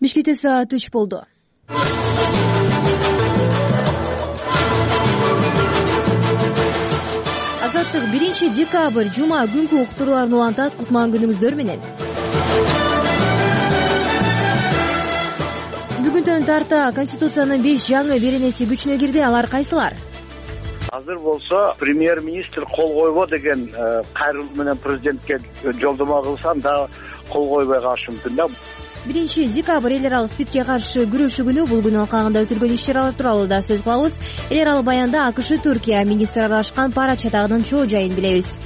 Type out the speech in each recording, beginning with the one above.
Бишкекте саат 3 болду. Азаттык 1-декабрь жума күнкү уктурууларын улантат. Кутман күнүңүздөр менен. Бүгүнтөн тарта Конституциянын 5 жаңы беренеси күчүнө кирди. Алар кайсылар? Азыр болсо премьер-министр кол койбо деген кайрылуу менен президентке жолдомо кылсам да кол койбой калышы мүмкүн да. 1-декабрь эл аралык СПИДке каршы күрөшүү күнү. Бул күн алкагында өтүлгөн иш-чаралар тууралуу да сөз кылабыз. Эл аралык баянда АКШ Түркия министри аралашкан пара чатагынын чоо жайын билебиз.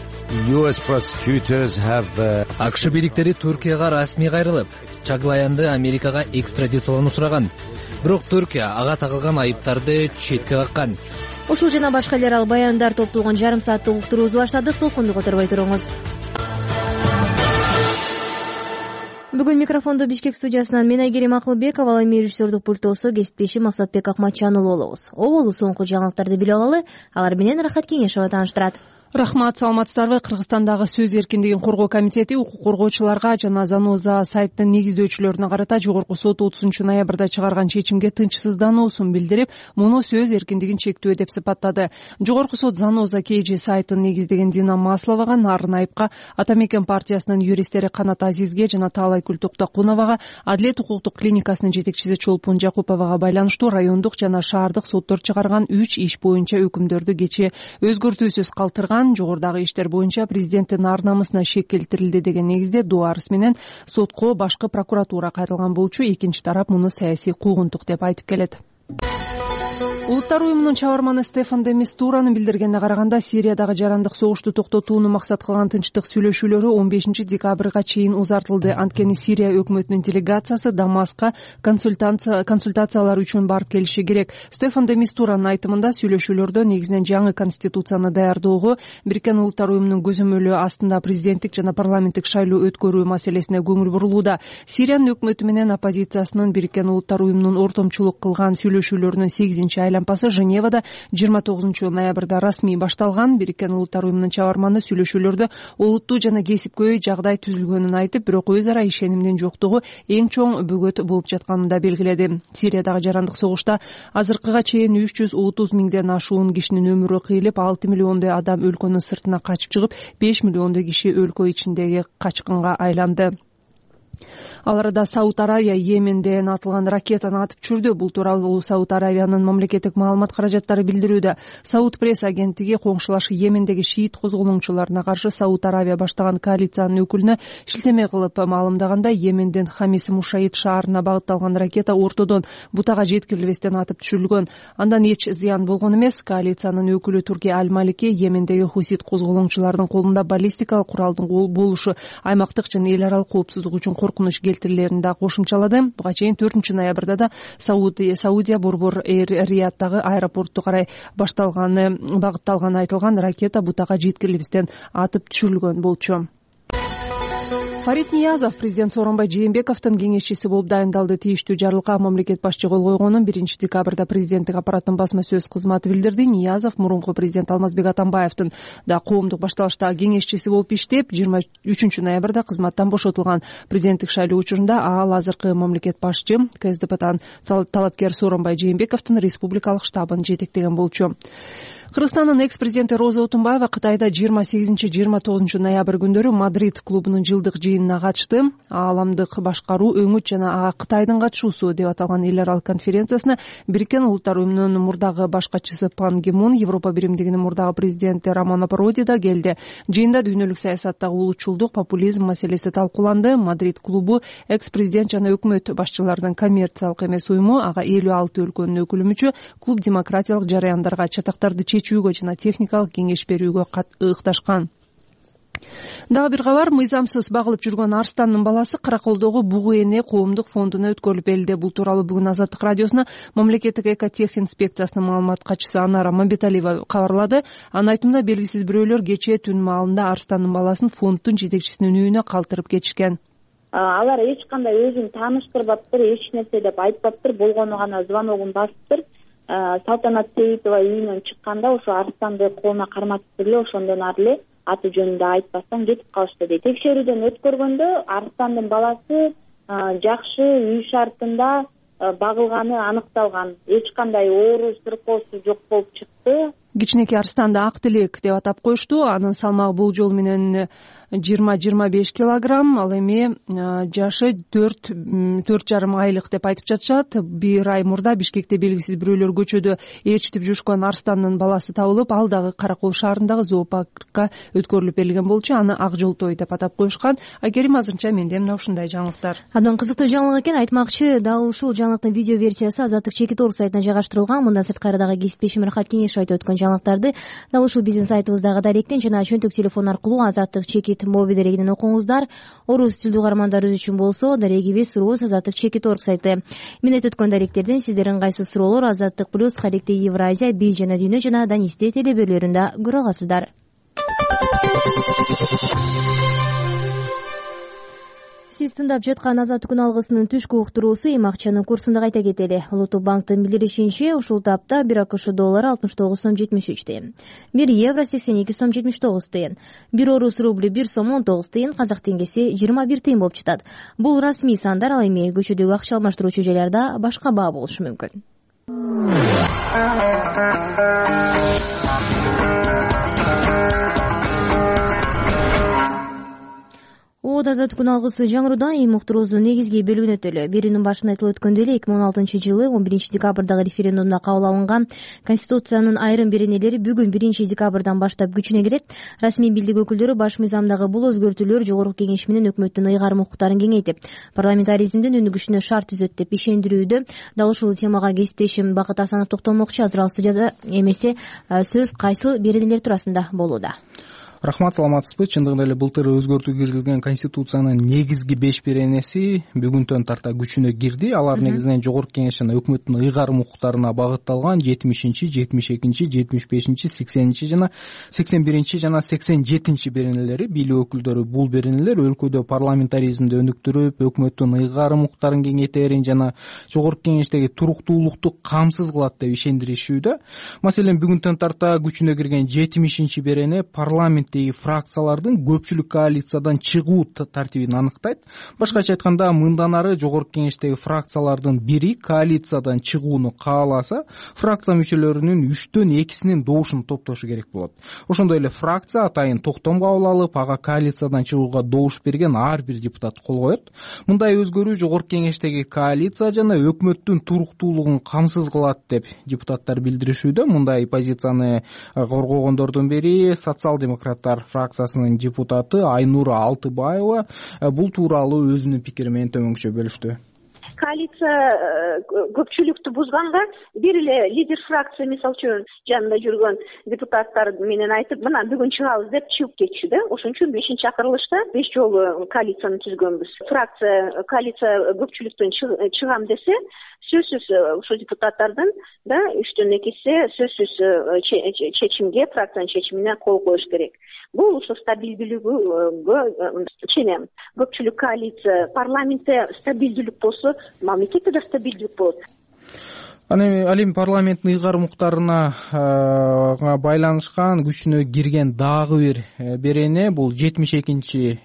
АКШ бийликтери Түркияга расмий кайрылып, Чаглаянды Америкага экстрадициялоону сураган. Бирок Түркия ага тагылган айыптарды четке каккан. Ушул жана башка эл аралык баяндар топтолгон жарым сааттык уктуруубузду баштадык. Толкунду которбой туруңуз. Бүгүн микрофондо Бишкек студиясынан мен Айгерим Акылбекова, ал эми режиссердук пульттосу кесиптешим Максатбек Акматжанұлы болобуз. Оболу соңку жаңылыктарды билип алалы. Алар менен Рахат Кеңешова тааныштырат. Рахмат, саламатсыздарбы? Кыргызстандагы сөз эркиндигин коргоо комитети укук коргоочуларга жана Заноза сайтынын негиздөөчүлөрүнө карата жогорку сот 30-ноябрда чыгарган чечимге тынчсыздануусун билдирип, муну сөз эркиндигин чектөө деп сыпаттады. Жогорку сот Заноза KG сайтын негиздеген Дина Масловага, Нарын Айыпка, Ата Мекен партиясынын юристтери Канат Азизге жана Таалайкүл Токтокуновага, Адилет укуктук клиникасынын жетекчиси Чолпон Жакуповага байланыштуу райондук жана шаардык соттор чыгарган 3 иш боюнча өкүмдөрдү кечээ өзгөртүүсүз калтырган. Жогорудагы иштер боюнча президенттин ар намысына шек келтирилди деген негизде доо арыз менен сотко башкы прокуратура кайрылган болчу. Экинчи тарап муну саясий куугунтук деп айтып келет. Улуттар уюмунун чабарманы Стефан де Мистуранын билдиргенине караганда, Сириядагы жарандык согушту токтотууну максат кылган тынчтык сүйлөшүүлөрү 15-декабрга чейин узартылды. Анткени Сирия өкмөтүнүн делегациясы Дамаска консультациялар үчүн барып келиши керек. Стефан де Мистуранын айтымында сүйлөшүүлөрдө негизинен жаңы конституцияны даярдоого, Бириккен Улуттар уюмунун көзөмөлү астында президенттик жана парламенттик шайлоо өткөрүү маселесине көңүл бурулууда. Сириянын өкмөтү менен оппозициясынын Бириккен Улуттар уюмунун ортомчулук кылган сүйлөшүүлөрүнүн 8-айланпасы Женевада 29-ноябрда расмий башталган. Бириккен Улуттар уюмунун чабарманы сүйлөшүүлөрдө олуттуу жана кесипкөй жагдай түзүлгөнүн айтып, бирок өз ара ишенимдин жоктугу эң чоң бөгөт болуп жатканын да белгиледи. Сириядагы жарандык согушта азыркыга чейин 330 миңден ашуун кишинин өмүрү кыйылып, 6 миллиондой адам өлкөнүн сыртына качып чыгып, 5 миллиондой киши өлкө ичиндеги качкынга айланды. Ал арада Сауд Аравия Йеменден атылган ракетаны атып түшүрдү. Бул тууралуу Сауд Аравиянын мамлекеттик маалымат каражаттары билдирүүдө. Сауд пресс агенттиги коңшулаш Йемендеги шиит козголоңчуларына каршы Сауд Аравия баштаган коалициянын өкүлүнө шилтеме кылып маалымдаганда, Йеменден Хамис Мушаид шаарына багытталган ракета ортодон бутага жеткирилбестен атып түшүрүлгөн. Андан эч зыян болгон эмес. Коалициянын өкүлү Турки Аль-Малики Йемендеги хусит козголоңчулардын колунда баллистикалык куралдын болушу аймактык жана эл аралык коопсуздук үчүн коркунуч келтирилерин да кошумчалады. Буга чейин 4-ноябрда да Саудия борбор Риядтагы аэропортту карай багытталганы айтылган ракета бутага жеткирилбестен атып түшүрүлгөн болчу. Фарид Ниязов президент Сооронбай Жээнбековдун кеңешчиси болуп дайындалды. Тийиштүү жарлыкка мамлекет башчы кол койгонун 1-декабрда президенттик аппараттын басма сөз кызматы билдирди. Ниязов мурунку президент Алмазбек Атамбаевдин да коомдук башталыштагы кеңешчиси болуп иштеп, 23-ноябрда кызматтан бошотулган. Президенттик шайлоо учурунда ал азыркы мамлекет башчы КСДПдан талапкер Сооронбай Жээнбековдун республикалык штабын жетектеген болчу. Кыргызстандын экс-президенти Роза Отунбаева Кытайда 28-29 ноябрь күндөрү Мадрид клубунун жылдык жыйынына катышты. Ааламдык башкаруу, өңүт жана ага Кытайдын катышуусу деп аталган эл аралык конференциясына Бириккен Улуттар уюмунун мурдагы баш катчысы Пан Ги Мун, Европа биримдигинин мурдагы президенти Романо Проди да келди. Жыйында дүйнөлүк саясаттагы улутчулдук, популизм маселеси талкууланды. Мадрид клубу экс-президент жана өкмөт башчыларынын коммерциялык эмес уюму, ага 56 өлкөнүн өкүлү мүчө. Клуб демократиялык жараяндарга, чатактарды чечүүгө жана техникалык кеңеш берүүгө ыкташкан. Дагы бир кабар, мыйзамсыз багылып жүргөн арстандын баласы Караколдогу бугу эне коомдук фондуна өткөрүлүп берилди. Бул тууралуу бүгүн Азаттык радиосуна мамлекеттик экотех инспекциясынын маалымат катчысы Анара Мамбеталиева кабарлады. Анын айтымында, белгисиз бирөөлөр кечээ түн маалында арстандын баласын фонддун жетекчисинин үйүнө калтырып кетишкен. Алар эч кандай өзүн тааныштырбаптыр, эч нерсе деп айтпаптыр, болгону гана звоногун басыптыр. Салтанат Сейитова үйүнөн чыкканда ошо арстанды колуна карматып эле ошондон ары эле аты жөнүндө айтпастан кетип калышты дейт. Текшерүүдөн өткөргөндө арстандын баласы жакшы үй шартында багылганы аныкталган, эч кандай оору сыркоосу жок болуп чыкты. Кичинекей арстанды ак тилек деп атап коюшту. Анын салмагы бул жолу менен 20-25 килограмм, ал эми жашы 4,5 айлык деп айтып жатышат. Бир ай мурда Бишкекте белгисиз бирөөлөр көчөдө ээрчитип жүрүшкөн арстандын баласы табылып, ал дагы Кара Кол шаарындагы зоопаркка өткөрүлүп берилген болчу. Аны ак жолтой деп атап коюшкан. Айгерим, азырынча менде мына ушундай жаңылыктар. Абдан кызыктуу жаңылык экен. Айтмакчы, дал ушул жаңылыктын видео версиясы Азаттык Чекит.org сайтына жайгаштырылган. Мындан сырткары дагы кесиптешим Рахат Кеңешев айтып өткөн жаңылыктарды дал ушул биздин сайтыбыздагы даректен жана чөнтөк телефон аркылуу Азаттык Чекит моби дарегинен окуңуздар. Орус тилдүү каармандарыбыз үчүн болсо дарегибиз сурооз Азаттык Чекит.org сайты. Мен айтып өткөн даректерден сиздер ыңгайсыз суроолор Азаттык плюс, Каректе Евразия, Биз жана Дүйнө жана Данисте телебөрлөрүндө көрө аласыздар. Сиз тыңдап жаткан Азаттык күн алгысынын түшкү уктуруусу эми акчанын курсунда кайта кетели. Улуттук банктын билдиришинче, ушул тапта 1 АКШ доллары 69 сом 73 тыйын, 1 евро 82 сом 79 тыйын, 1 орус рубли 1 сом 19 тыйын, казак теңгеси 21 тыйын болуп чыгат. Бул расмий сандар, ал эми көчөдөгү акча алмаштыруучу жайларда башка баа болушу мүмкүн. Азаттык күн алгысы жаңыруда эми уктуруубуздун негизги бөлүгүнө өтөлү. Берүүнүн башында айтылып өткөндөй эле 2016-жылы 11 декабрдагы референдумда кабыл алынган Конституциянын айрым беренелери бүгүн 1 декабрдан баштап күчүнө кирет. Расмий бийлик өкүлдөрү баш мыйзамдагы бул өзгөртүүлөр жогорку кеңеш менен өкмөттүн ыйгарым укуктарын кеңейтип, парламентаризмдин өнүгүшүнө шарт түзөт деп ишендирүүдө. Дал ушул темага кесиптешим Бакыт Асанов токтолмокчу. Азыр ал студияда эмесе сөз кайсыл беренелер туурасында болууда. Рахмат, саламатсызбы? Чындыгында эле былтыр өзгөртүү киргизилген Конституциянын негизги 5 беренеси бүгүнтөн тарта күчүнө кирди. Алар негизинен жогорку кеңеш жана өкмөттүн ыйгарым укуктарына багытталган 70-чи, 72-чи, 75-чи, 80-чи жана 81-чи жана 87-чи беренелери. Бийлик өкүлдөрү бул беренелер өлкөдө парламентаризмди өнүктүрүп, өкмөттүн ыйгарым укуктарын кеңейтерин жана жогорку кеңештеги туруктуулукту камсыз кылат деп ишендиришүүдө. Маселен, бүгүнтөн тарта күчүнө кирген 70-чи берене парламент фракциялардын көпчүлүк коалициядан чыгуу тартибин аныктайт. Башкача айтканда, мындан ары жогорку кеңештеги фракциялардын бири коалициядан чыгууну кааласа, фракция мүчөлөрүнүн 3/2 добушун топтошу керек болот. Ошондой эле фракция атайын токтом кабыл алып, ага коалициядан чыгууга добуш берген ар бир депутат кол коет. Мындай өзгөрүү жогорку кеңештеги коалиция жана өкмөттүн туруктуулугун камсыз кылат деп депутаттар билдиришүүдө. Мындай позицияны коргогондордун бири социал-демократ фракциясынын депутаты Айнура Алтыбаева бул тууралуу өзүнүн пикири менен төмөнкүчө бөлүштү. Коалиция көпчүлүктү бузганга бир эле лидер фракция, мисалы үчүн жанында жүргөн депутаттар менен айтып, мына бүгүн чыгабыз деп чыгып кетчү да. Ошон үчүн 5-чакырылышта 5 жолу коалицияны түзгөнбүз. Коалиция көпчүлүктөн чыгам десе, сөзсүз ушул депутаттардын да 3/2 сөзсүз чечимге, фракциянын чечимине кол коюш керек. Бул ушул стабилдүүлүгүгө ченем. Көпчүлүк коалиция парламентте стабилдүүлүк болсо, мамлекетте да стабилдүүлүк болот. Ал эми парламенттин ыйгарым укуктарына байланышкан күчүнө кирген дагы бир берене, бул 72-чи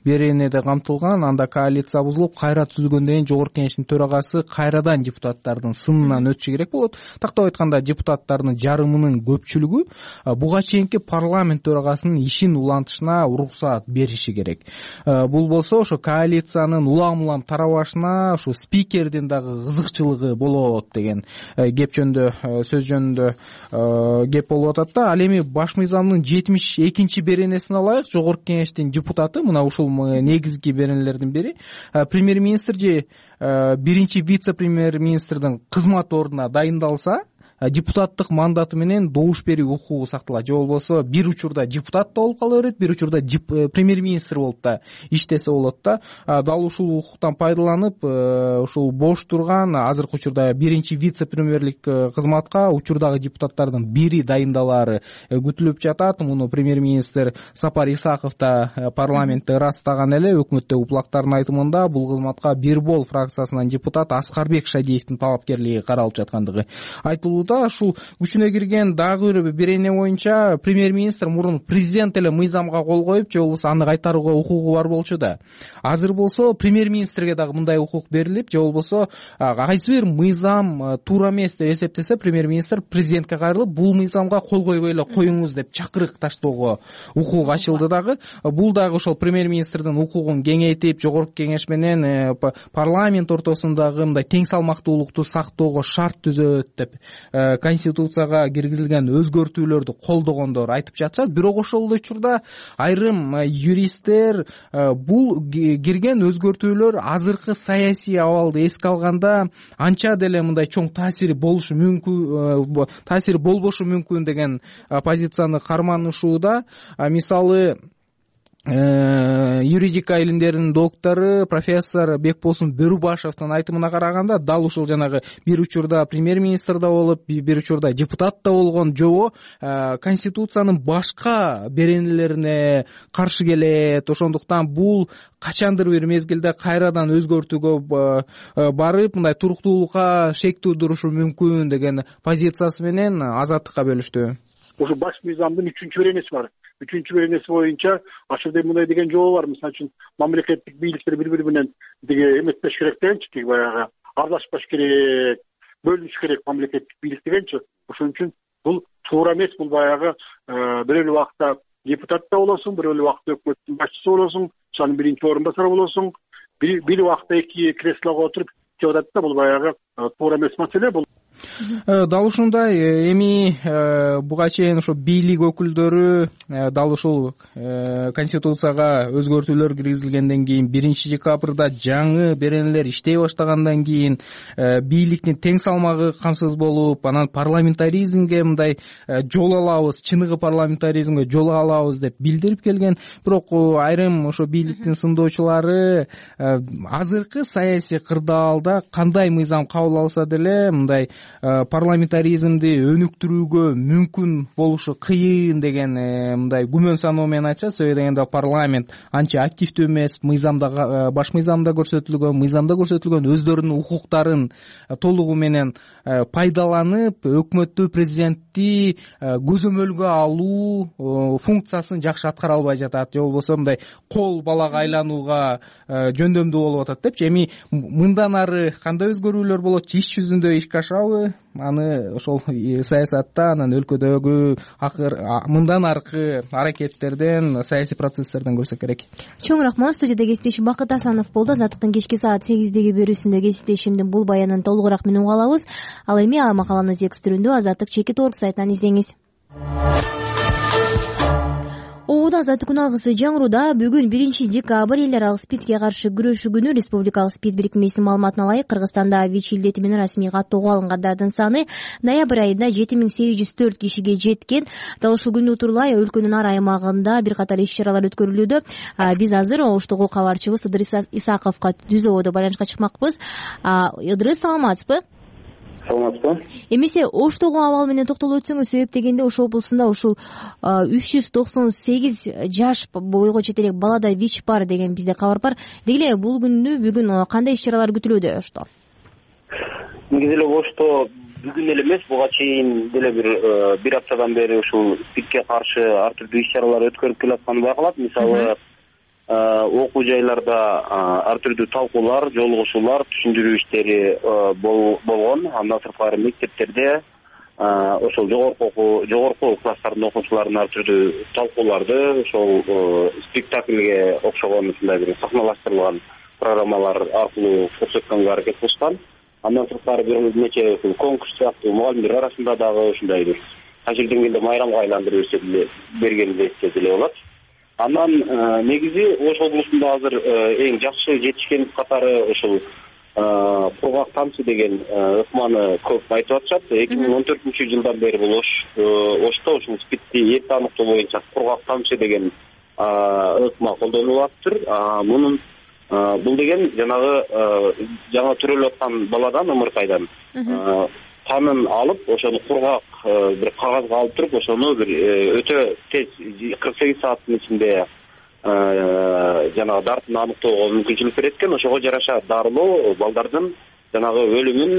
беренеде камтылган. Анда коалиция бузулуп, кайра түзүлгөндөн кийин жогорку кеңештин төрагасы кайрадан депутаттардын сынынан өтүшү керек болот. Тактап айтканда, депутаттардын жарымынын көпчүлүгү буга чейинки парламент төрагасынын ишин улантышына уруксаат бериши керек. Бул болсо ошо коалициянын улам тарабашына ошо спикердин дагы кызыкчылыгы болот деген сөз жөнүндө кеп болуп атат да. Ал эми баш мыйзамдын 72-чи беренесин алайык. Жогорку кеңештин депутаты, мына ушул негизги беренелердин бири, премьер-министр же биринчи вице-премьер-министрдин кызмат ордуна дайындалса, депутаттык мандаты менен добуш берүү укугу сакталат. Же болбосо бир учурда депутат да болуп кала берет, бир учурда премьер-министр болуп да иштесе болот да. Дал ушул укуктан пайдаланып, ушул бош турган азыркы учурда биринчи вице-премьерлик кызматка учурдагы депутаттардын бири дайындалаары күтүлүп жатат. Муну премьер-министр Сапар Исаков да парламентте ырастаган эле. Өкмөттөгү булактардын айтымында бул кызматка Бир бол фракциясынан депутат Аскарбек Шадиевдин талапкерлиги каралып жаткандыгы айтылууда. учурда ушул күчүнө кирген дагы бир берене боюнча премьер-министр мурун президент эле мыйзамга кол коюп же болбосо аны кайтарууга укугу бар болчу да. Азыр болсо премьер-министрге дагы мындай укук берилип, же болбосо кайсы бир мыйзам туура эмес деп эсептесе премьер-министр президентке кайрылып бул мыйзамга кол койбой эле коюңуз деп чакырык таштоого укук ачылды дагы. Бул дагы ошол премьер-министрдин укугун кеңейтип, жогорку кеңеш менен парламент ортосундагы мындай тең салмактуулукту сактоого шарт түзөт деп конституцияга киргизилген өзгөртүүлөрдү колдогондор айтып жатышат. Бирок ошол эле учурда айрым юристтер бул кирген өзгөртүүлөр азыркы саясий абалды эске алганда анча деле мындай чоң таасири болушу мүмкүн, таасири болбошу мүмкүн деген позицияны карманышууда. Мисалы юридика илимдеринин доктору профессор Бекболсун Бөрүбашевдин айтымына караганда дал ушул жанагы бир учурда премьер-министр да болуп, бир учурда депутат да болгон жобо конституциянын башка беренелерине каршы келет. Ошондуктан бул качандыр бир мезгилде кайрадан өзгөртүүгө барып, мындай туруктуулукка шек туудурушу мүмкүн деген позициясы менен Азаттыкка бөлүштү. Ошо баш мыйзамдын 3-беренеси бар. 3-беренеси боюнча ашырда мындай деген жобо бар. Мисалы үчүн мамлекеттик бийликтер бири-бири менен эметпеш керек дегенчи, баягы аралашпаш керек, бөлүнүш керек мамлекеттик бийлик дегенчи. Ошон үчүн бул туура эмес. Бул баягы бир эле убакта депутат да болосуң, бир эле убакта өкмөттүн башчысы болосуң, анын биринчи орун басары болосуң, бир убакта эки креслого отуруп кетип атат да. Бул баягы туура эмес маселе. Бул дал ушундай. Эми буга чейин ошо бийлик өкүлдөрү дал ушул конституцияга өзгөртүүлөр киргизилгенден кийин 1-декабрда жаңы беренелер иштей баштагандан кийин бийликтин тең салмагы камсыз болуп, анан парламентаризмге мындай жол алабыз, чыныгы парламентаризмге жол алабыз деп билдирип келген. Бирок айрым ошо бийликтин сындоочулары азыркы саясий кырдаалда кандай мыйзам кабыл алса деле мындай парламентаризмди өнүктүрүүгө мүмкүн болушу кыйын деген мындай күмөн саноо менен айтышат. Себеби дегенде парламент анча активдүү эмес, мыйзамда, баш мыйзамда көрсөтүлгөн өздөрүнүн укуктарын толугу менен пайдаланып, өкмөттү, президентти көзөмөлгө алуу функциясын жакшы аткара албай жатат, же болбосо мындай кол балага айланууга жөндөмдүү болуп атат депчи. Эми мындан ары кандай өзгөрүүлөр болот? Иш жүзүндө ишке ашабы? Аны ошол саясатта, анан өлкөдөгү мындан аркы аракеттерден, саясий процесстерден көрсөк керек. Чоң рахмат. Студияда кесипдеши Бакыт Асанов болду. Азаттыктын кечки саат 8деги берүүсүндө кесиптешимдин бул баянын толугураак менен уга алабыз. Ал эми макаланы текстүрүндө Азаттык.org сайтынан издеңиз. ООН азаттык күн алгысы жаңыруда. Бүгүн 1-декабрь эл аралык СПИДке каршы күрөшүү күнү. Республикалык СПИД бирикмесинин маалыматына ылайык, Кыргызстанда ВИЧ илдети менен расмий каттоого алынгандардын саны ноябрь айында 7804 кишиге жеткен. Дал ушул күнү утурлай өлкөнүн ар аймагында бир катар иш-чаралар өткөрүлүүдө. Биз азыр Оштогу кабарчыбыз Ыдрыс Исаковго түзөбөдө байланышка чыкмакпыз. Ыдрыс, саламатсызбы? Саламатсызбы? Эмесе Оштогу абал менен токтолуп өтсөңүз. Себеп дегенде ошол облусунда ушул 398 жаш бойго жетелек балада ВИЧ бар деген бизде кабар бар. Деги эле бул күндү бүгүн кандай иш-чаралар күтүлүүдө Ошто? Негизи эле Ошто бүгүн эле эмес, буга чейин деле бир аптадан бери ушул СПИДке каршы ар түрдүү иш-чаралар өткөрүп келатканы байкалат. Мисалы окуу жайларда ар түрдүү талкуулар, жолугушуулар, түшүндүрүү иштери болгон. Андан сырткары мектептерде ошол жогорку класстардын окуучуларынын ар түрдүү талкууларды, ошол спектакльге окшогон ушундай бир сахналаштырылган программалар аркылуу көрсөткөнгө аракет кылышкан. Андан сырткары бир нече конкурс сыяктуу мугалимдер арасында дагы ушундай бир кажыр деңгээлде майрамга айландырып бергени десе деле болот. Андан негизи Ош облусунда азыр эң жакшы жетишкен катары ушул кургак тамчы деген ыкманы көп айтып атышат. 2014-жылдан бери бул Ошто ушул СПИДти эрте аныктоо боюнча кургак тамчы деген ыкма колдонулуп атыптыр. Мунун бул деген жаңа төрөлүп аткан баладан, ымыркайдан канын алып, ошону кургак бир кагазга алып туруп, ошону бир өтө тез 48 сааттын ичинде дартын аныктоого мүмкүнчүлүк берет экен. Ошого жараша дарылоо балдардын жанагы өлүмүн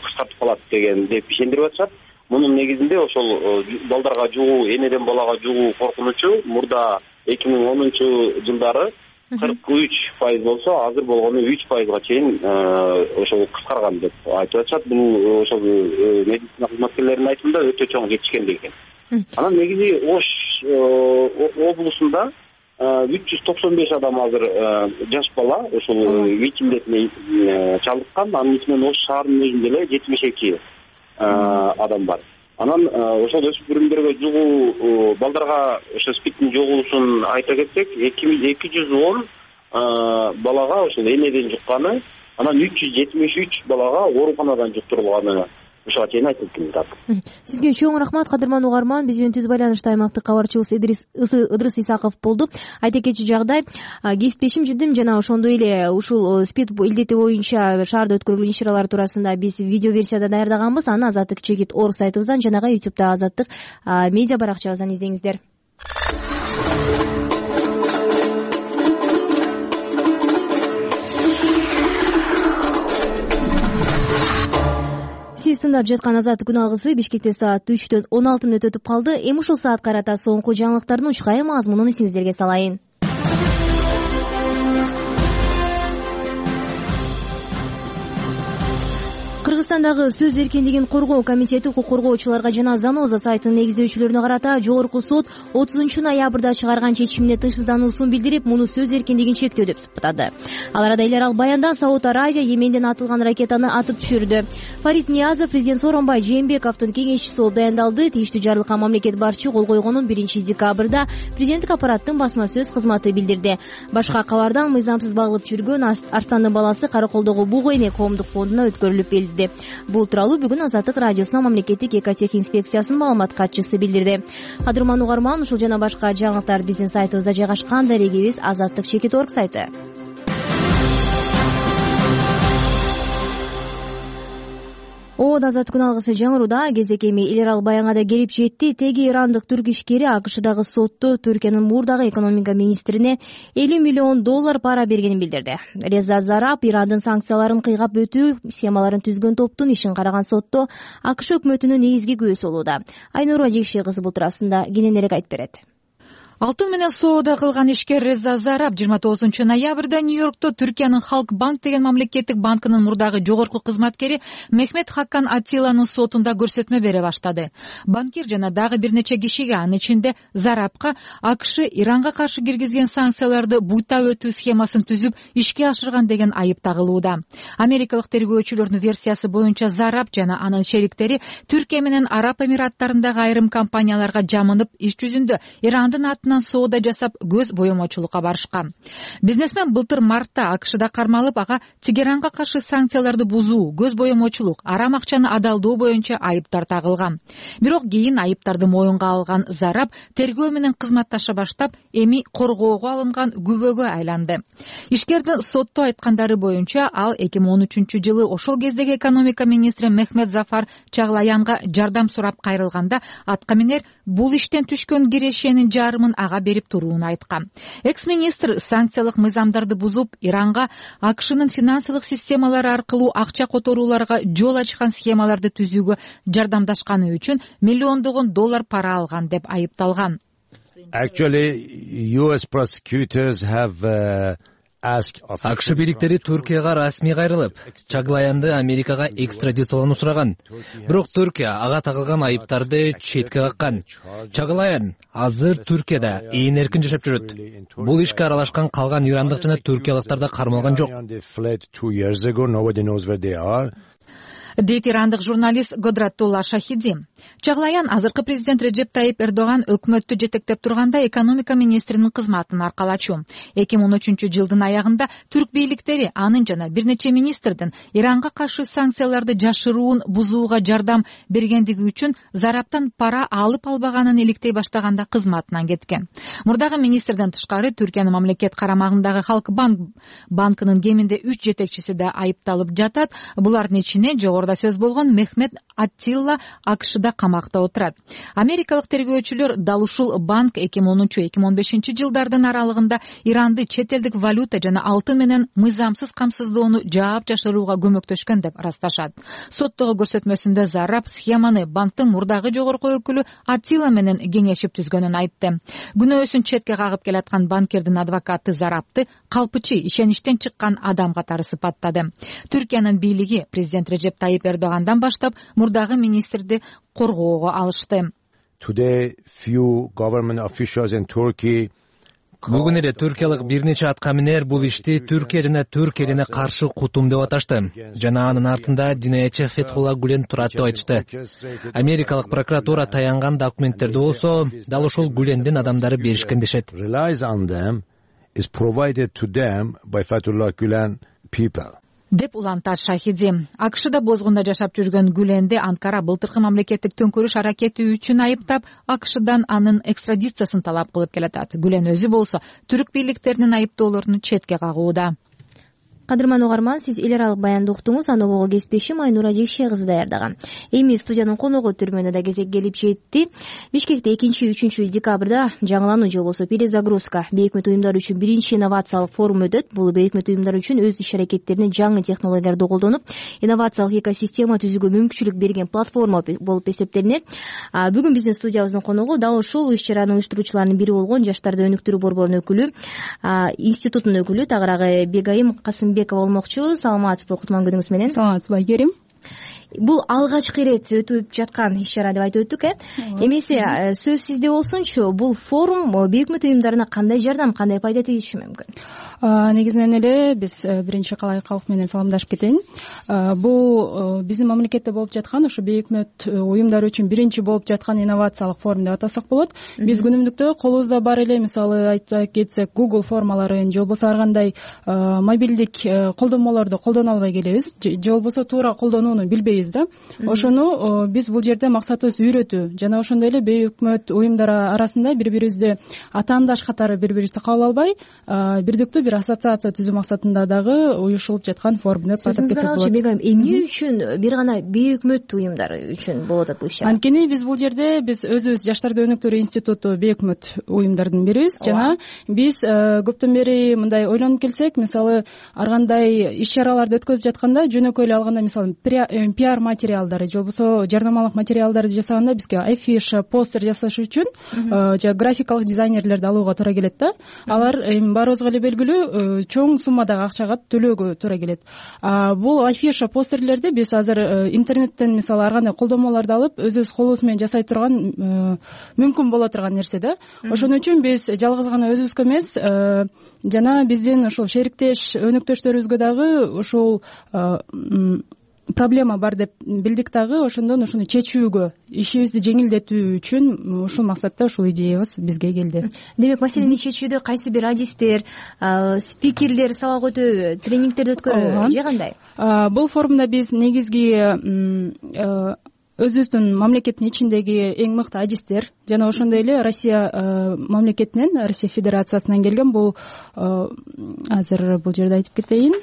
кыскартып калат деген деп ишендирип атышат. Мунун негизинде ошол балдарга жугуу, энеден балага жугуу коркунучу мурда 2010-жылдары 43% болсо, азыр болгону 3%га чейин ошол кыскарган деп айтып атышат. Бул ошол медицина кызматкерлеринин айтымында өтө чоң жетишкендик экен. Анан негизи Ош облусунда 395 адам азыр жаш бала ошол ВИЧ индетине чалдыккан. Анын ичинен Ош шаарынын өзүндө эле 72 адам бар. Анан ошол өспүрүмдөргө жугуу, балдарга ошо СПИДтин жугуусун айта кетсек, 210 балага ошол энеден жукканы, анан 373 балага ооруканадан жуктурулганы ушуга чейин айтылып келет. Сизге чоң рахмат, кадырман угарман. Биз менен түз байланышта аймактык кабарчыбыз Ыдырыс Исаков болду. Айта кетчү жагдай, кесиптешим Жибдим жана ошондой эле ушул СПИД илдети боюнча шаарда өткөрүлгөн иш-чаралар туурасында биз видео версияда даярдаганбыз. Аны Азаттык Чекит Орг сайтыбыздан жана YouTube'да Азаттык медиа баракчабыздан издеңиздер. Сиз тыңдап жаткан Азаттык күн алгысы Бишкекте саат 3-төн 16 өтүп калды. Эми ушул саат карата соңку жаңылыктардын учкай мазмунун эсиңиздерге салайын. Кыргызстандагы сөз эркиндигин коргоо комитети укук коргоочуларга жана Заноза сайтынын негиздөөчүлөрүнө карата жогорку сот 30-ноябрда чыгарган чечимине тынчсыздануусун билдирип, муну сөз эркиндигин чектөө деп сыптады. Ал арада эл аралык баянда Сауд Аравия Йеменден атылган ракетаны атып түшүрдү. Фарид Ниязов президент Сооронбай Жээнбековдун кеңешчиси болуп дайындалды. Тийиштүү жарлыкка мамлекет башчы кол койгонун 1-декабрда президенттик аппараттын басма сөз кызматы билдирди. Башка кабардан мыйзамсыз багылып жүргөн Арстандын баласы Караколдогу Бугу эне коомдук фондуна өткөрүлүп берилди. Бул тууралуу бүгүн Азаттык радиосунун мамлекеттик экотех инспекциясынын маалымат катчысы билдирди. Кадырман угарман, ушул жана башка жаңылыктар биздин сайтыбызда жайгашкан. Дарегибиз Азаттык Чекит Орг сайты. Азаттык күн алгысы жаңырууда кезек эми эл аралык баянга да келип жетти. Теги ирандык түрк ишкери АКШдагы сотто Түркиянын мурдагы экономика министрине $50 миллион пара бергенин билдирди. Реза Зарап Ирандын санкцияларын кыйгап өтүү схемаларын түзгөн топтун ишин караган сотто АКШ өкмөтүнүн негизги күбөсү болууда. Айнура Жекши кызы бул туурасында кененирээк айтып берет. Алтын менен соода кылган ишкер Реза Зарап 29-ноябрда Нью-Йоркто Түркиянын Халк банк деген мамлекеттик банкынын мурдагы жогорку кызматкери Мехмет Хакан Атиланын сотунда көрсөтмө бере баштады. Банкир жана дагы бир нече кишиге, анын ичинде Зарапка АКШ Иранга каршы киргизген санкцияларды буйтап өтүү схемасын түзүп ишке ашырган деген айып тагылууда. Америкалык тергөөчүлөрдүн версиясы боюнча Зарап жана анын шериктери Түркия менен Араб Эмираттарындагы айрым компанияларга жамынып иш жүзүндө Ирандын атынан соода жасап көз боемочулукка барышкан. Бизнесмен былтыр мартта АКШда кармалып, ага Тегеранга каршы санкцияларды бузуу, көз боемочулук, арам акчаны адалдоо боюнча айыптар тагылган. Бирок кийин айыптарды моюнга алган Зарап тергөө менен кызматташа баштап, эми коргоого алынган күбөгө айланды. Ишкердин сотто айткандары боюнча ал 2013-жылы ошол кездеги экономика министри Мехмет Зафар Чаглаянга жардам сурап кайрылганда аткаминер бул иштен түшкөн кирешенин жарымын ага берип туруун айткан. Экс-министр санкциялык мыйзамдарды бузуп, Иранга АКШнын финансылык системалары аркылуу акча которууларга жол ачкан схемаларды түзүүгө жардамдашканы үчүн миллиондогон доллар пара алган деп айыпталган. Actually, US prosecutors have АКШ бийликтери Түркияга расмий кайрылып, Чаглаянды Америкага экстрадициялоону сураган. Бирок Түркия ага тагылган айыптарды четке каккан. Чаглаян азыр Түркияда ээн эркин жашап жүрөт. Бул ишке аралашкан калган ирандык жана түркиялыктар да кармалган жок. Дейт ирандык журналист Годратулла Шахиди. Чаглаян азыркы президент Реджеп Тайип Эрдоган өкмөттү жетектеп турганда экономика министринин кызматын аркалачу. 2013-жылдын аягында түрк бийликтери анын жана бир нече министрдин Иранга каршы санкцияларды жашыруун бузууга жардам бергендиги үчүн Зараптан пара алып албаганын иликтей баштаганда кызматынан кеткен. Мурдагы министрден тышкары Түркиянын мамлекет карамагындагы Халк банкынын кеминде 3 жетекчиси да айыпталып жатат. Булардын ичине жогоруда сөз болгон Мехмет Аттила АКШда камакта отурат. Америкалык тергөөчүлөр дал ушул банк 2010-2015 жылдардын аралыгында Иранды чет элдик валюта жана алтын менен мыйзамсыз камсыздоону жаап жашырууга көмөктөшкөн деп ырасташат. Соттогу көрсөтмөсүндө Зарап схеманы банктын мурдагы жогорку өкүлү Аттила менен кеңешип түзгөнүн айтты. Күнөөсүн четке кагып келаткан банкирдин адвокаты Зарапты калпычы, ишеништен чыккан адам катары сыпаттады. Түркиянын бийлиги президент Режеп Тайип Эрдогандан баштап мурдагы министрди коргоого алышты. Today, few government officials in Turkey Бүгүн эле түркиялык бир нече аткаминер бул ишти Түркия жана Түрк элине каршы кутум деп аташты. Жана анын артында динаятчы Фетхулла Гүлен турат деп айтышты. Америкалык прокуратура таянган документтерди болсо, дал ушул Гүлендин адамдары беришкен дешет. is provided to them by Fethullah Gülen people. Деп улантат Шахиди. АКШда бозгунда жашап жүргөн Гүленди Анкара былтыркы мамлекеттик төңкөрүш аракети үчүн айыптап, АКШдан анын экстрадициясын талап кылып келатат. Гүлен өзү болсо түрк бийликтеринин айыптоолорун четке кагууда. Кадырман угарман, сиз эл аралык баянды уктуңуз. Анобого кесипдешим Айнура Жекше кызы даярдаган. Эми студиянын коногу түрмөнү да кезек келип жетти. Бишкекте 2-3 декабрда жаңылануу же болбосо перезагрузка бейик өкмөт уюмдары үчүн биринчи инновациялык форум өтөт. Бул бейик өкмөт уюмдары үчүн өз иш-аракеттерине жаңы технологияларды колдонуп, инновациялык экосистема түзүүгө мүмкүнчүлүк берген платформа болуп эсептелинет. Бүгүн биздин студиябыздын коногу дал ушул иш-чаранын уюштуруучуларынын бири болгон Жаштарды өнүктүрүү борборунун өкүлү, институттун өкүлү Тагыраагы Бегайым Касымбекова болмокчу. Саламатсызбы, кутман күнүңүз менен. Саламатсызбы, Айгерим. Бул алгачкы ирет өтүп жаткан иш-чара деп айтып өттүк, Эмесе сөз сизде болсунчу, бул форум бейик өкмөт уюмдарына кандай жардам, кандай пайда тийиши мүмкүн? Негизинен эле биз биринчи калай калк менен саламдашып кетейин. Бул биздин мамлекетте болуп жаткан, ушу бейик өкмөт уюмдары үчүн биринчи болуп жаткан инновациялык форум деп атасак болот. Биз күнүмдүктө колубузда бар эле, мисалы айтып кетсек, Google формаларын же болбосо ар кандай мобилдик колдонмолорду колдоно албай келебиз, же болбосо туура колдонууну билбейбиз да. Ошону биз бул жерде максатыбыз үйрөтүү жана ошондой эле бейик өкмөт уюмдары арасында бири-бирибизди атаандаш катары бири-бирибизди кабыл албай, бирдиктүү бир ассоциация түзүү максатында дагы уюштурулуп жаткан форум деп атап кетсек болот. Эмне үчүн бир гана бейик өкмөт уюмдары үчүн болуп атат бул иш? Анткени биз бул жерде өзүбүз Жаштарды өнүктүрүү институту бейик өкмөт уюмдардын бирибиз жана биз көптөн бери мындай ойлонуп келсек, мисалы ар кандай иш-чараларды өткөзүп жатканда, жөнөкөй эле алганда, мисалы пиар материалдары же болбосо жарнамалык материалдарды жасаганда бизге афиша, постер жасаш үчүн же графикалык дизайнерлерди алууга туура келет да. Алар эми баарыбызга эле белгилүү чоң суммадагы акчага төлөөгө туура келет. Бул афиша, постерлерди биз азыр интернеттен, мисалы ар кандай колдонмолорду алып, өзүбүз колубуз менен жасай турган, мүмкүн боло турган нерсе да. Ошон үчүн биз жалгыз гана өзүбүзгө эмес, жана биздин ушул шериктеш өнүктөштөрүбүзгө дагы ушул проблема бар деп билдик дагы. Ошондон ушуну чечүүгө, ишибизди жеңилдетүү үчүн ушул максатта ушул идеябыз бизге келди. Демек, маселени чечүүдө кайсы бир адистер, спикерлер сабак өтөбү, тренингтерди өткөрөбү же кандай? Бул форумда биз негизги өзүбүздүн мамлекеттин ичиндеги эң мыкты адистер жана ошондой эле Россия мамлекетинен, Россия Федерациясынан келген, бул азыр бул жерде айтып кетейин.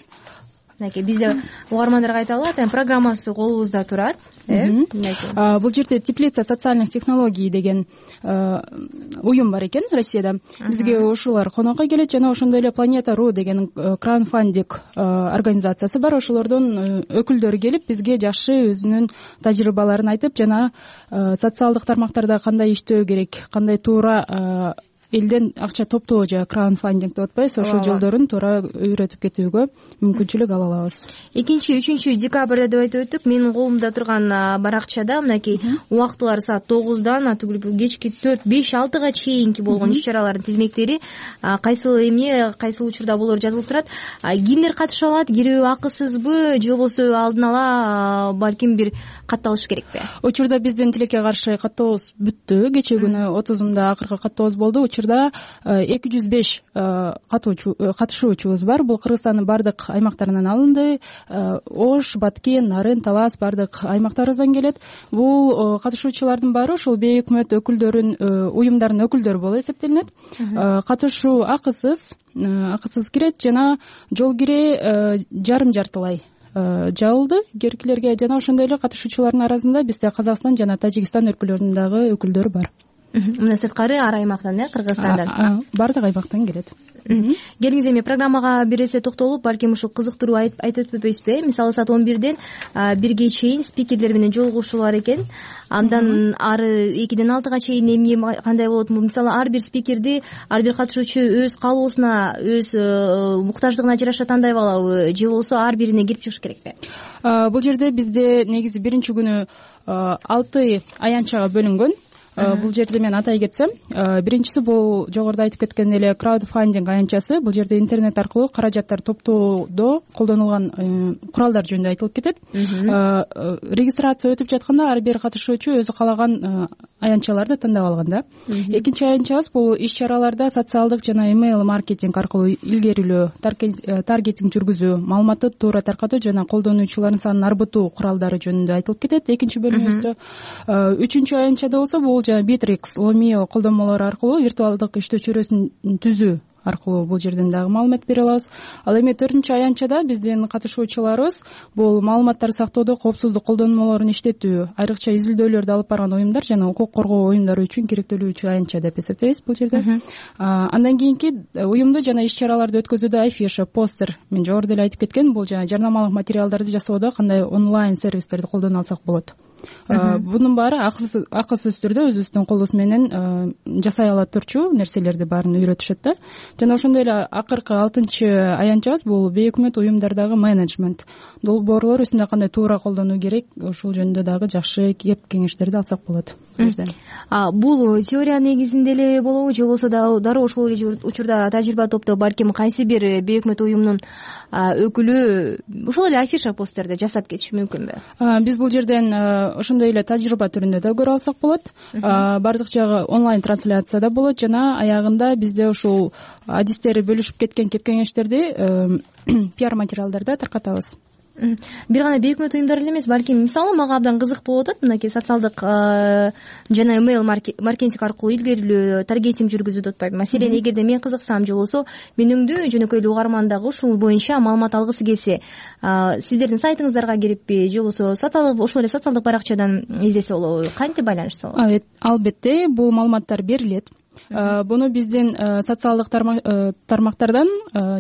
Бизде угармандарга айта алат, программасы колубузда турат. Бул жерде Теплица социальных технологий деген уюм бар экен Россияда. Бизге ушулар конокко келет жана ошондой эле Planeta.ru деген краудфандинг организациясы бар. Ошолордун өкүлдөрү келип бизге жакшы өзүнүн тажрыйбаларын айтып, жана социалдык тармактарда кандай иштөө керек, кандай туура элден акча топтоо же краудфандинг деп атпайбызбы, ошол жолдорун туура үйрөтүп кетүүгө мүмкүнчүлүк ала алабыз. 2-3 декабрда деп айтып өттүк. Менин колумда турган баракчада мынакей убактылар саат 9-дан кечки 4-5-6га чейинки болгон иш-чаралардын тизмектери, кайсыл эмне, кайсыл учурда болор жазылып турат. Кимдер катыша алат? Кирүү акысызбы же болбосо алдын ала балким бир катталыш керекпи? Учурда биздин тилекке каршы каттообуз бүттү. Кечээ күнү 30-унда акыркы каттообуз болду. Учурда 205 катышуучубуз бар. Бул Кыргызстандын бардык аймактарынан алынды. Ош, Баткен, Нарын, Талас бардык аймактарыбыздан келет. Бул катышуучулардын баары ушул бейик өкмөт өкүлдөрүнүн уюмдарынын өкүлдөрү болуп эсептелинет. Катышуу акысыз кирет жана жол кире жарым жартылай жабылды керкилерге жана ошондой эле катышуучулардын арасында бизде Казакстан жана Тажикстан өлкөлөрүнүн дагы өкүлдөрү бар. Мындан сырткары ар аймактан, Кыргызстандан баардык аймактан келет. Келиңиз эми программага бир эсе токтолуп, балким ушул кызыктыруу айтып өтпөйбүзбү? Мисалы саат 11ден 1ге чейин спикерлер менен жолугушуулар экен. Андан ары 2ден 6га чейин эмне кандай болот? Мисалы ар бир спикерди ар бир катышуучу өз каалоосуна, өз муктаждыгына жараша тандайбы алабы же болбосо ар бирине кирип чыгыш керекпи? Бул жерде бизде негизи биринчи күнү 6 аянтчага бөлүнгөн. Бул жерде мен атай кетсем, биринчиси бул жогоруда айтып кеткен эле краудфандинг аянтчасы. Бул жерде интернет аркылуу каражаттар топтоодо колдонулган куралдар жөнүндө айтылып кетет. Регистрация өтүп жатканда ар бир катышуучу өзү каалаган аянтчаларды тандап алган да. Экинчи аянтчабыз бул иш-чараларда социалдык жана имейл маркетинг аркылуу илгерилөө, таргетинг жүргүзүү, маалыматты туура таркатуу жана колдонуучулардын санын арбытуу куралдары жөнүндө айтылып кетет экинчи бөлүмүбүздө. Үчүнчү аянтчада болсо бул Bittrex, Lomio колдонмолору аркылуу виртуалдык иштөө чөйрөсүн түзүү аркылуу бул жерден дагы маалымат бере алабыз. Ал эми 4-чү аянтчада биздин катышуучуларыбыз бул маалыматтарды сактоодо коопсуздук колдонмолорун иштетүү, айрыкча изилдөөлөрдү алып барган уюмдар жана укук коргоо уюмдары үчүн керектөлүүчү аянтча деп эсептейбиз бул жерде. Андан кийинки уюмду жана иш-чараларды өткөзүүдө афиша, постер, мен жогоруда эле айтып кеткен, бул жана жарнамалык материалдарды жасоодо кандай онлайн сервистерди колдоно алсак болот. Бунун баары акысыз түрдө өзүбүздүн колубуз менен жасай ала турчу нерселерди баарын үйрөтүшөт да. Жана ошондой эле акыркы 6-чы аянтчабыз бул бейөкмөт уюмдардагы менеджмент. Долбоорлор үстүндө кандай туура колдонуу керек, ошол жөнүндө дагы жакшы кеп кеңештерди алсак болот. Бул теория негизинде эле болобу же болбосо дароо ошол эле учурда тажрыйба топтоо балким кайсы бир бейөкмөт уюмдун өкүлү ошол эле афиша, постерди жасап кетиши мүмкүнбү? Биз бул жерден ошондой эле тажрыйба түрүндө да көрө алсак болот. Бардык жагы онлайн трансляцияда болот жана аягында бизде ушул адистери бөлүшүп кеткен кеп кеңештерди пиар материалдарда таркатабыз. Бир гана бейөкмөт уюмдар эле эмес, балким мисалы мага абдан кызык болуп атат мынакей социалдык жана имейл маркетинг аркылуу илгерилөө, таргетинг жүргүзүү деп атпайбы? Маселен, эгерде мен кызыксам же болбосо меніңдүү жөнөкөй эле угарман дагы ушул боюнча маалымат алгысы келсе, сиздердин сайтыңыздарга кирип же болбосо ошол эле социалдык баракчадан издесе болобу? Кантип байланышса болот? Албетте, бул маалыматтар берилет. Буну биздин социалдык тармактардан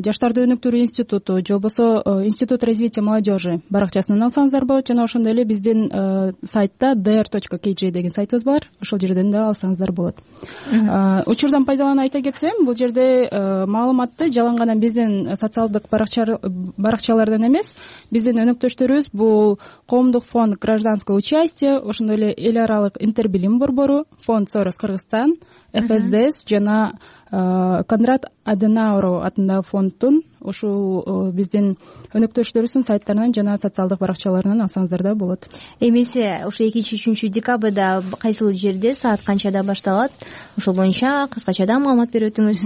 Жаштарды өнүктүрүү институту же болбосо Институт развития молодежи баракчасынан алсаңыздар болот жана ошондой эле биздин сайтта dr.kj деген сайтыбыз бар, ошол жерден да алсаңыздар болот. Учурдан пайдаланып айта кетсем, бул жерде маалыматты жалаң гана биздин социалдык баракчалардан эмес, биздин өнөктөштөрүбүз бул Коомдук фонд гражданское участие, ошондой эле эл аралык интербилим борбору, фонд Сорос Кыргызстан, ФСДС жана Конрад Аденауэр атындагы фонддун ушул биздин өнөктөштөрүбүздүн сайттарынан жана социалдык баракчаларынан алсаңыздар да болот. Эмесе ошо 2-3 декабрда кайсыл жерде, саат канчада башталат? Ошол боюнча кыскача да маалымат берип өтүңүз.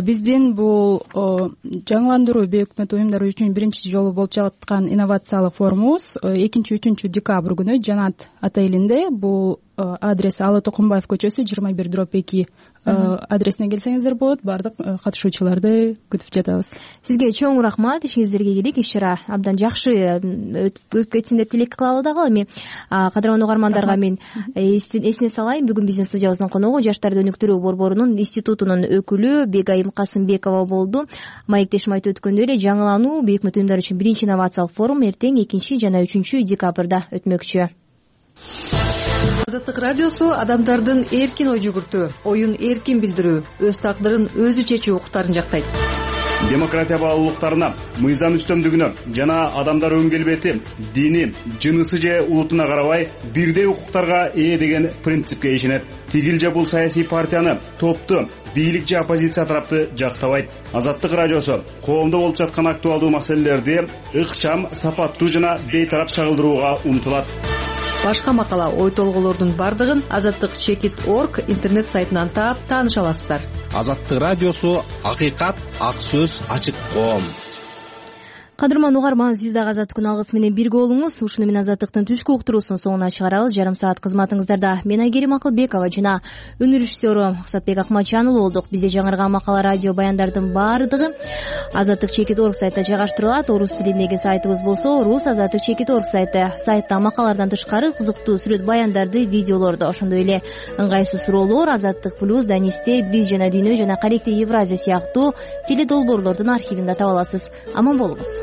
Биздин бул жаңыландыруу бейөкмөт уюмдар үчүн биринчи жолу болуп жаткан инновациялык форумубуз 2-3 декабрь күнү Жанат отелинде, бул адрес Алы Токумбаев көчөсү 21/2 адресине келсеңиздер болот. Баардык катышуучуларды күтүп жатабыз. Сизге чоң рахмат, ишиңиздерге келик. Иш-чара абдан жакшы өтүп кетсин деп тилек кылалы дагы. Эми кадырман угармандарга мен эсине салайын, бүгүн биздин студиябыздын коногу Жаштарды өнүктүрүү борборунун институтунун өкүлү Бегайым Касымбекова болду. Маектешим айтып өткөндөй эле, жаңылануу бейөкмөт уюмдар үчүн биринчи инновациялык форум эртең 2 жана 3 декабрда өтмөкчү. Азаттык радиосу адамдардын эркин ой жүгүртүү, оюн эркин билдирүү, өз тагдырын өзү чечүү укуктарын жактайт. Демократия баалуулуктарына, мыйзам үстөмдүгүнө жана адамдар өң келбети, дини, жынысы же улутуна карабай бирдей укуктарга ээ деген принципке ишенет. Тигил же бул саясий партияны, топту, бийлик же оппозиция тарапты жактабайт. Азаттык радиосу коомдо болуп жаткан актуалдуу маселелерди ыкчам, сапаттуу жана бейтарап чагылдырууга умтулат. Башка макала, ой толголордун бардыгын azattik.org интернет сайтынан таап тааныша аласыздар. Азаттык радиосу — акыйкат, ак сөз, ачык коом. Кадырман угарман, сиз дагы Азаттыктын алгысы менен бирге болуңуз. Ушуну менен Азаттыктын түшкү уктуруусун соңуна чыгарабыз. Жарым саат кызматыңыздарда мен Айгерим Акылбекова жана өнөр режиссеру Максатбек Акматжан уулу болдук. Бизде жаңырган макала, радио баяндардын баардыгы Азаттык.org сайтта жайгаштырылат. Орус тилиндеги сайтыбыз болсо rus.azattik.org сайты. Сайтта макалалардан тышкары кызыктуу сүрөт баяндарды, видеолорду, ошондой эле ыңгайсыз суроолор, Азаттык плюс, Данисте, Биз жана Дүйнө жана Каректе Евразия сыяктуу теледолбоорлордун архивинде таба аласыз. Аман болуңуз.